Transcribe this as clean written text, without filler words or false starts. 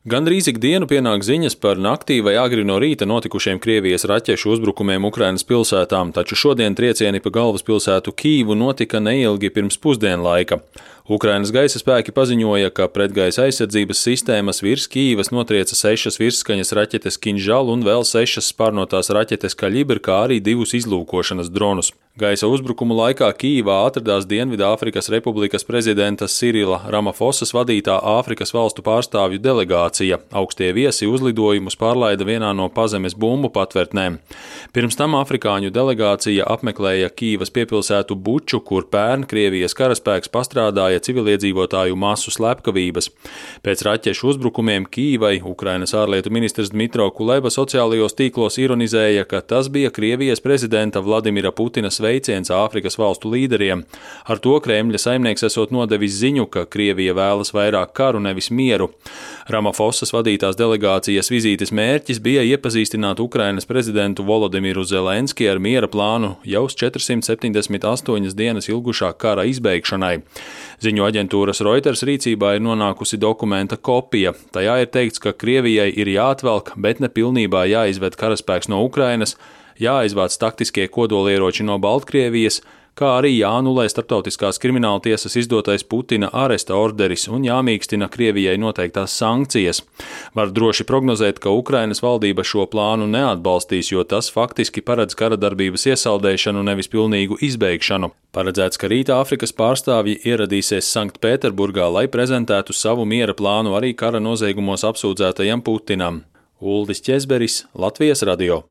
Gandrīz ikdienu pienāk ziņas par naktī vai agri no rīta notikušiem Krievijas raķešu uzbrukumiem Ukrainas pilsētām, taču šodien triecieni pa galvaspilsētu Kīvu notika neilgi pirms pusdienlaika. Ukrainas gaisa spēki paziņoja, ka pretgaisa aizsardzības sistēmas virs Kīvas notrieca 6 virsskaņas raķetes Kinžal un vēl 6 spārnotās raķetes Kaļibr, kā arī 2 izlūkošanas dronus. Gaisa uzbrukumu laikā Kīvā atradās Dienvidāfrikas Republikas prezidenta Sirila Ramafosas vadītā Āfrikas valstu pārstāvju delegācija. Augstie viesi uzlidojumus pārlaida vienā no pazemes bumbu patvērtnēm. Pirms tam afrikāņu delegācija apmeklēja Kīvas piepilsētu Buču, kur pērn Krievijas karaspēks pastrādāja civiliedzīvotāju masu slepkavības. Pēc raķešu uzbrukumiem Kīvai Ukrainas ārlietu ministrs Dmitro Kuleba sociālajos tīklos ironizēja, ka tas bija Krievijas prezidenta Vladimira Putina sveiciens Āfrikas valstu līderiem. Ar to Kremļa saimnieks esot nodevis ziņu, ka Krievija vēlas vairāk karu, nevis mieru. Ramafosas vadītās delegācijas vizītes mērķis bija iepazīstināt Ukrainas prezidentu Volodimiru Zelenski ar miera plānu jau 478 dienas ilgušā kara izbeigšanai. Ziņu aģentūras Reuters rīcībā ir nonākusi dokumenta kopija. Tajā ir teikts, ka Krievijai ir jāatvelk, bet ne pilnībā jāizved karaspēks no Ukrainas, jāizvāc taktiskie kodolieroči no Baltkrievijas, kā arī jāanulē starptautiskās krimināla tiesas izdotais Putina aresta orderis un jāmīkstina Krievijai noteiktās sankcijas. Var droši prognozēt, ka Ukrainas valdība šo plānu neatbalstīs, jo tas faktiski paredz kara darbības iesaldēšanu, nevis pilnīgu izbeigšanu. Paredzēts, ka rīt Āfrikas pārstāvji ieradīsies Sanktpēterburgā, lai prezentētu savu miera plānu arī kara noziegumos apsūdzētajam Putinam. Uldis Ķezberis, Latvijas radio.